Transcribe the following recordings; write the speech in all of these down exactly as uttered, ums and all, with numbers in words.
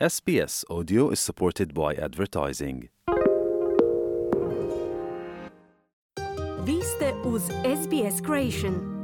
S B S Audio is supported by advertising. Vi ste uz S B S Creation.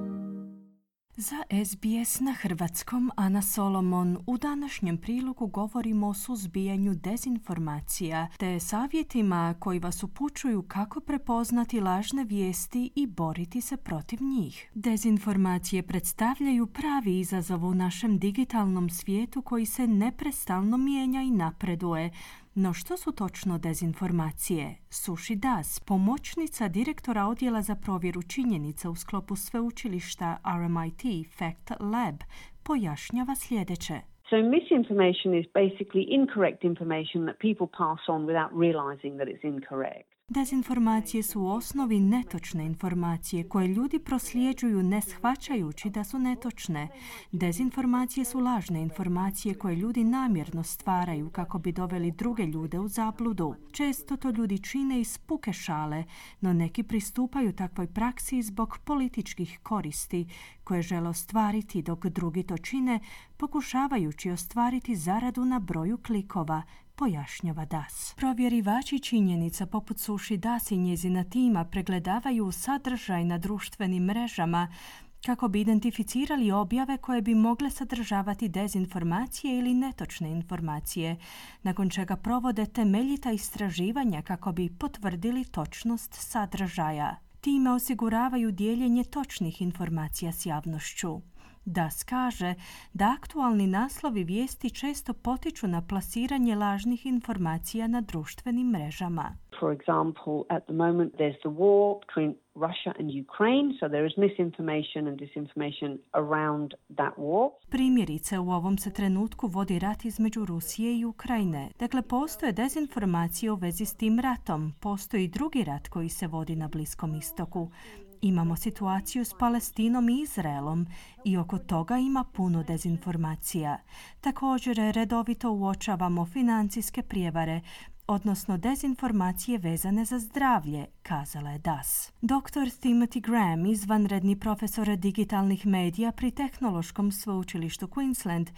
Za S B S na hrvatskom Ana Solomon u današnjem prilogu govorimo o suzbijanju dezinformacija te savjetima koji vas upućuju kako prepoznati lažne vijesti i boriti se protiv njih. Dezinformacije predstavljaju pravi izazov u našem digitalnom svijetu koji se neprestano mijenja i napreduje. No što su točno dezinformacije? Sushi Das, pomoćnica direktora odjela za provjeru činjenica u sklopu sveučilišta R M I T Fact Lab, pojašnjava sljedeće. So misinformation is basically incorrect information that people pass on without realizing that it's incorrect. Dezinformacije su u osnovi netočne informacije koje ljudi prosljeđuju ne shvaćajući da su netočne. Dezinformacije su lažne informacije koje ljudi namjerno stvaraju kako bi doveli druge ljude u zabludu. Često to ljudi čine iz puke šale, no neki pristupaju takvoj praksi zbog političkih koristi koje žele ostvariti, dok drugi to čine pokušavajući ostvariti zaradu na broju klikova, pojašnjava Das. Provjerivači činjenica poput Sushi Das i njezina tima pregledavaju sadržaj na društvenim mrežama kako bi identificirali objave koje bi mogle sadržavati dezinformacije ili netočne informacije, nakon čega provode temeljita istraživanja kako bi potvrdili točnost sadržaja. Time osiguravaju dijeljenje točnih informacija s javnošću. Das kaže da aktualni naslovi vijesti često potiču na plasiranje lažnih informacija na društvenim mrežama. For example, at the moment there's the war between Russia and Ukraine, so there is misinformation and disinformation around that war. Primjerice, u ovom se trenutku vodi rat između Rusije i Ukrajine. Dakle, postoje dezinformacije u vezi s tim ratom. Postoji drugi rat koji se vodi na Bliskom istoku. Imamo situaciju s Palestinom i Izraelom i oko toga ima puno dezinformacija. Također redovito uočavamo financijske prijevare, odnosno dezinformacije vezane za zdravlje, kazala je Das. doktor Timothy Graham, izvanredni profesor digitalnih medija pri Tehnološkom sveučilištu Queensland,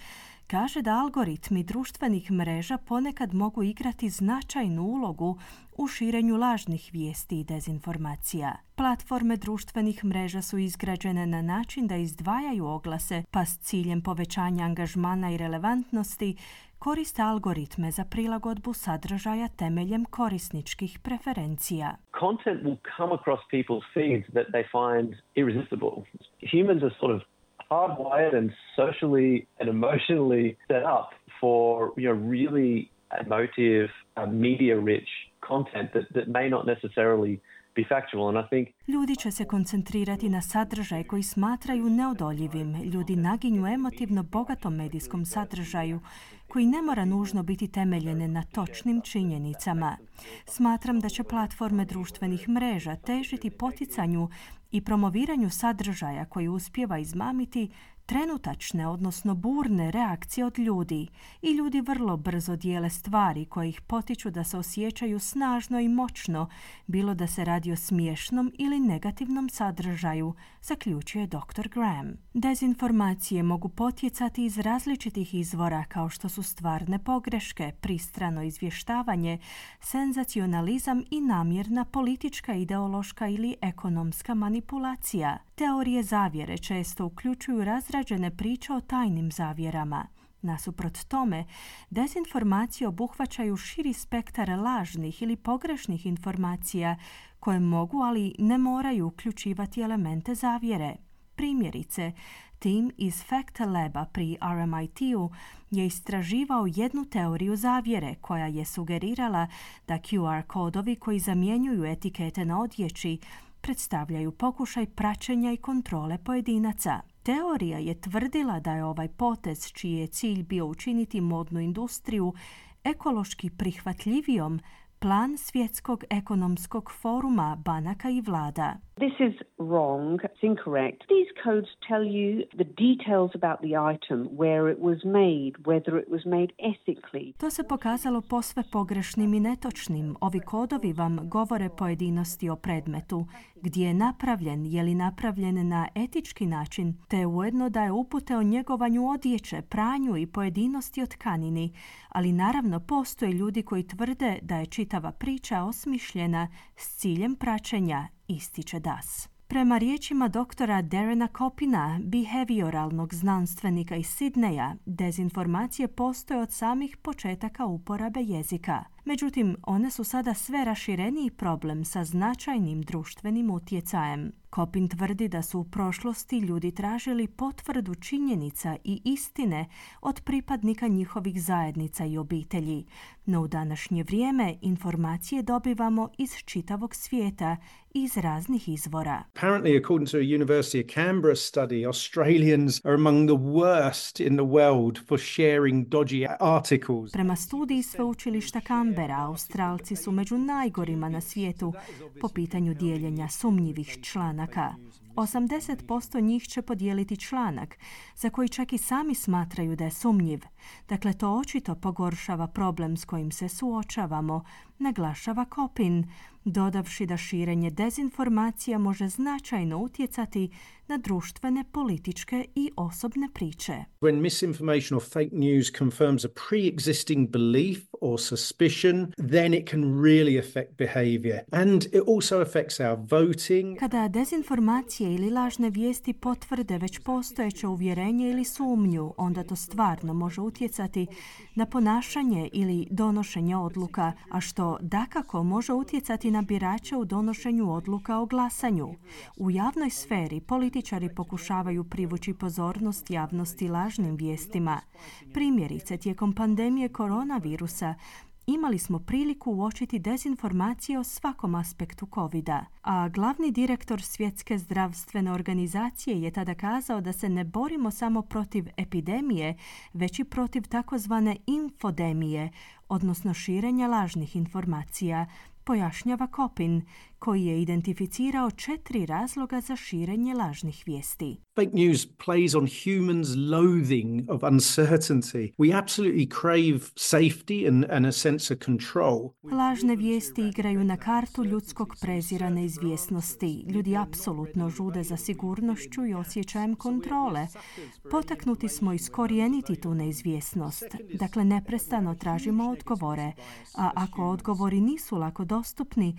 kaže da algoritmi društvenih mreža ponekad mogu igrati značajnu ulogu u širenju lažnih vijesti i dezinformacija. Platforme društvenih mreža su izgrađene na način da izdvajaju oglase, pa s ciljem povećanja angažmana i relevantnosti koriste algoritme za prilagodbu sadržaja temeljem korisničkih preferencija. Content will come across people's feeds that they find irresistible. Humans are sort of hardwired and socially and emotionally set up for, you know, really emotive, uh, media-rich content that, that may not necessarily be factual. And I think Ljudi će se koncentrirati na sadržaj koji smatraju neodoljivim. Ljudi naginju emotivno bogatom medijskom sadržaju koji ne mora nužno biti temeljene na točnim činjenicama. Smatram da će platforme društvenih mreža težiti poticanju i promoviranju sadržaja koji uspijeva izmamiti trenutačne, odnosno burne reakcije od ljudi. I ljudi vrlo brzo dijele stvari koje ih potiču da se osjećaju snažno i moćno, bilo da se radi o smiješnom ili negativnom sadržaju, zaključuje doktor Graham. Dezinformacije mogu potjecati iz različitih izvora kao što su stvarne pogreške, pristrano izvještavanje, senzacionalizam i namjerna politička, ideološka ili ekonomska manipulacija. Teorije zavjere često uključuju razrađene priče o tajnim zavjerama. Nasuprot tome, dezinformacije obuhvaćaju širi spektar lažnih ili pogrešnih informacija koje mogu, ali ne moraju uključivati elemente zavjere. Primjerice, tim iz Fact Laba pri R M I T-u je istraživao jednu teoriju zavjere koja je sugerirala da Q R kodovi koji zamjenjuju etikete na odjeći predstavljaju pokušaj praćenja i kontrole pojedinaca. Teorija je tvrdila da je ovaj potez, čiji je cilj bio učiniti modnu industriju ekološki prihvatljivijom, plan Svjetskog ekonomskog foruma, banaka i vlada. This is wrong. It's incorrect. These codes tell you the details about the item, where it was made, whether it was made ethically. To se pokazalo posve pogrešnim i netočnim. Ovi kodovi vam govore pojedinosti o predmetu, gdje je napravljen, je li napravljen na etički način, te ujedno daje upute o njegovanju odjeće, pranju i pojedinosti o tkanini. Ali naravno postoje ljudi koji tvrde da je čitava priča osmišljena s ciljem praćenja, ističe Das. Prema riječima doktora Darrena Coppina, behavioralnog znanstvenika iz Sidneja, dezinformacije postoje od samih početaka uporabe jezika. Međutim, one su sada sve rašireniji problem sa značajnim društvenim utjecajem. Coppin tvrdi da su u prošlosti ljudi tražili potvrdu činjenica i istine od pripadnika njihovih zajednica i obitelji. No u današnje vrijeme informacije dobivamo iz čitavog svijeta i iz raznih izvora. Apparently, according to a University of Canberra study, Australians are among the worst in the world for sharing dodgy articles. Prema studiji sveučilišta Canberra, Australci su među najgorima na svijetu po pitanju dijeljenja sumnjivih članaka. osamdeset posto njih će podijeliti članak za koji čak i sami smatraju da je sumnjiv. Dakle, to očito pogoršava problem s kojim se suočavamo, naglašava Coppin, dodavši da širenje dezinformacija može značajno utjecati na društvene, političke i osobne priče. When misinformation or fake news confirms a pre-existing belief or suspicion, then it can really affect behavior. And it also affects our voting. Kada dezinformacije ili lažne vijesti potvrde već postojeće uvjerenje ili sumnju, onda to stvarno može utjecati na ponašanje ili donošenje odluka, a što dakako može utjecati na birače u donošenju odluka o glasanju. U javnoj sferi političari pokušavaju privući pozornost javnosti lažnim vijestima. Primjerice, tijekom pandemije koronavirusa imali smo priliku uočiti dezinformacije o svakom aspektu kovida, a glavni direktor Svjetske zdravstvene organizacije je tada kazao da se ne borimo samo protiv epidemije, već i protiv takozvane infodemije, odnosno širenja lažnih informacija, pojašnjava Coppin, koji je identificirao četiri razloga za širenje lažnih vijesti. Fake news plays on humans' loathing of uncertainty. We absolutely crave safety and, and a sense of control. Lažne vijesti igraju na kartu ljudskog prezira neizvjesnosti. Ljudi apsolutno žude za sigurnošću i osjećajem kontrole. Potaknuti smo iskorijeniti tu neizvjesnost. Dakle, neprestano tražimo odgovore, a ako odgovori nisu lako dostupni,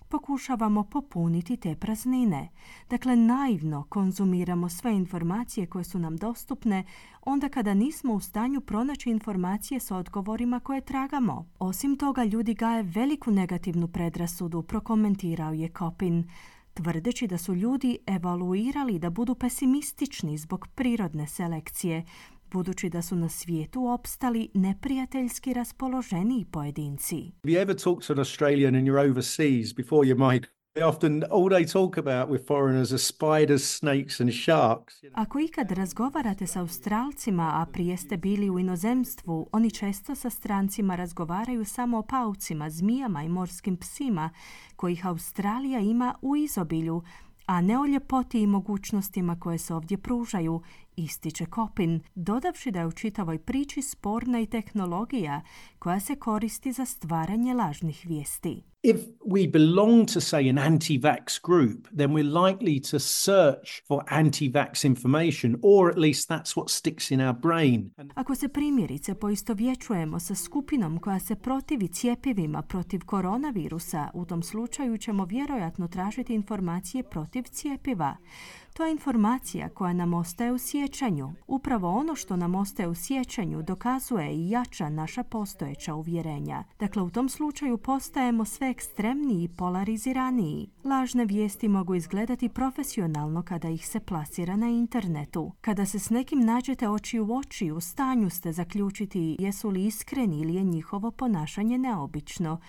pokušavamo popuniti te praznine. Dakle, naivno konzumiramo sve informacije koje su nam dostupne onda kada nismo u stanju pronaći informacije s odgovorima koje tragamo. Osim toga, ljudi gaje veliku negativnu predrasudu, prokomentirao je Coppin, tvrdeći da su ljudi evaluirali da budu pesimistični zbog prirodne selekcije, budući da su na svijetu opstali neprijateljski raspoloženiji pojedinci. Have you ever talked to an Australian and you're overseas before you migrate? Often all they talk about with foreigners are spiders, snakes and sharks. Ako ikad razgovarate sa Australcima, a prije ste bili u inozemstvu, oni često sa strancima razgovaraju samo o paucima, zmijama i morskim psima, kojih Australija ima u izobilju, a ne o ljepoti i mogućnostima koje se ovdje pružaju, ističe Coppin, dodavši da je u čitavoj priči sporna i tehnologija koja se koristi za stvaranje lažnih vijesti. If we belong to, say, an anti-vax group, then we're likely to search for anti-vax information, or at least that's what sticks in our brain. Ako se primjerice poistovjećujemo sa skupinom koja se protivi cjepivima protiv koronavirusa, u tom slučaju ćemo vjerojatno tražiti informacije protiv cjepiva. To je informacija koja nam ostaje u sjećanju. Upravo ono što nam ostaje u sjećanju dokazuje i jača naša postojeća uvjerenja. Dakle, u tom slučaju postajemo sve ekstremniji i polariziraniji. Lažne vijesti mogu izgledati profesionalno kada ih se plasira na internetu. Kada se s nekim nađete oči u oči, u stanju ste zaključiti jesu li iskreni ili je njihovo ponašanje neobično.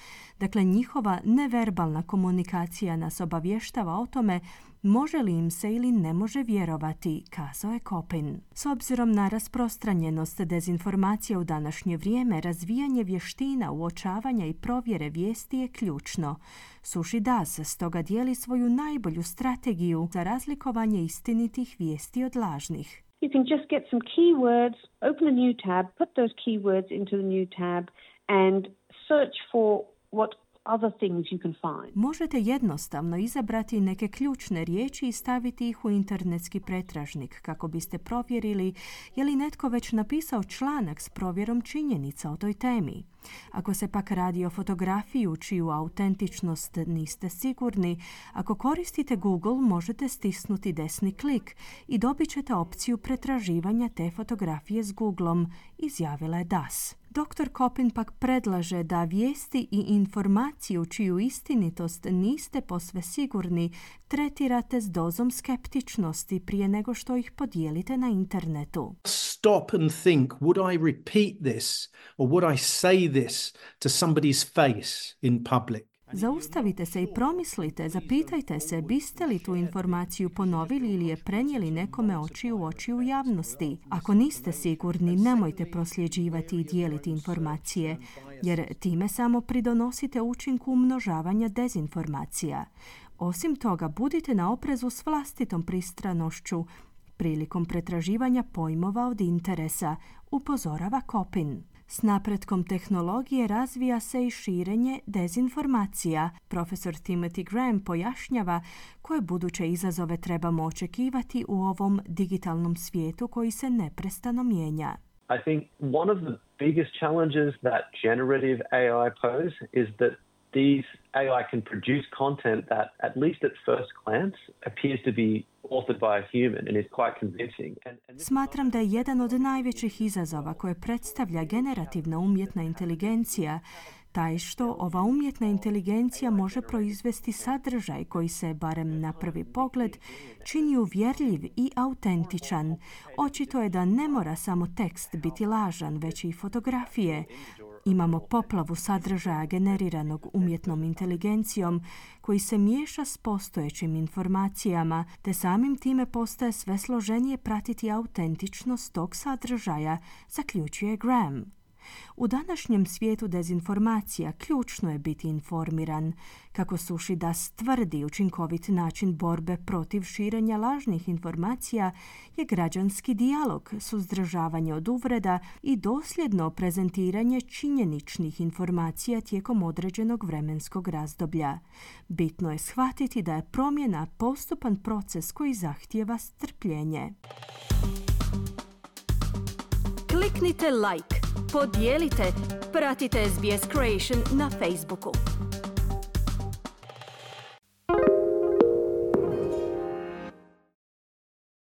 Dakle, njihova neverbalna komunikacija nas obavještava o tome Može li im se ili ne može vjerovati, kazao je Kopin. S obzirom na rasprostranjenost dezinformacija u današnje vrijeme, razvijanje vještina uočavanja i provjere vijesti je ključno. Sushi Das stoga dijeli svoju najbolju strategiju za razlikovanje istinitih vijesti od lažnih. You can just get some keywords, open a new tab, put those keywords into the new tab and search for what other things you can find. Možete jednostavno izabrati neke ključne riječi i staviti ih u internetski pretražnik kako biste provjerili je li netko već napisao članak s provjerom činjenica o toj temi. Ako se pak radi o fotografiji čiju autentičnost niste sigurni, ako koristite Google možete stisnuti desni klik i dobit ćete opciju pretraživanja te fotografije s Googlom, izjavila je Das. doktor Kopin pak predlaže da vijesti i informaciju čiju istinitost niste posve sigurni tretirate s dozom skeptičnosti prije nego što ih podijelite na internetu. Stop and think, would I repeat this or would I say this to somebody's face in public? Zaustavite se i promislite, zapitajte se biste li tu informaciju ponovili ili je prenijeli nekome oči u oči u javnosti. Ako niste sigurni, nemojte prosljeđivati i dijeliti informacije, jer time samo pridonosite učinku umnožavanja dezinformacija. Osim toga, budite na oprezu s vlastitom pristranošću prilikom pretraživanja pojmova od interesa, upozorava Kopin. S napretkom tehnologije razvija se i širenje dezinformacija. Profesor Timothy Graham pojašnjava koje buduće izazove trebamo očekivati u ovom digitalnom svijetu koji se neprestano mijenja. I think one of the biggest challenges that generative A I pose is that these A I can produce content that, at least at first glance, appears to be authored by a human and is quite convincing. And, and Smatram da je jedan od najvećih izazova koje predstavlja generativna umjetna inteligencija taj što ova umjetna inteligencija može proizvesti sadržaj koji se, barem na prvi pogled, čini uvjerljiv i autentičan. Očito je da ne mora samo tekst biti lažan, već i fotografije. Imamo poplavu sadržaja generiranog umjetnom inteligencijom koji se miješa s postojećim informacijama, te samim time postaje sve složenije pratiti autentičnost tog sadržaja, zaključuje Graham. U današnjem svijetu dezinformacija ključno je biti informiran. Kako Sushi Das tvrdi, učinkovit način borbe protiv širenja lažnih informacija je građanski dijalog, suzdržavanje od uvreda i dosljedno prezentiranje činjeničnih informacija tijekom određenog vremenskog razdoblja. Bitno je shvatiti da je promjena postupan proces koji zahtijeva strpljenje. Kliknite like, podijelite, pratite S B S Creation na Facebooku.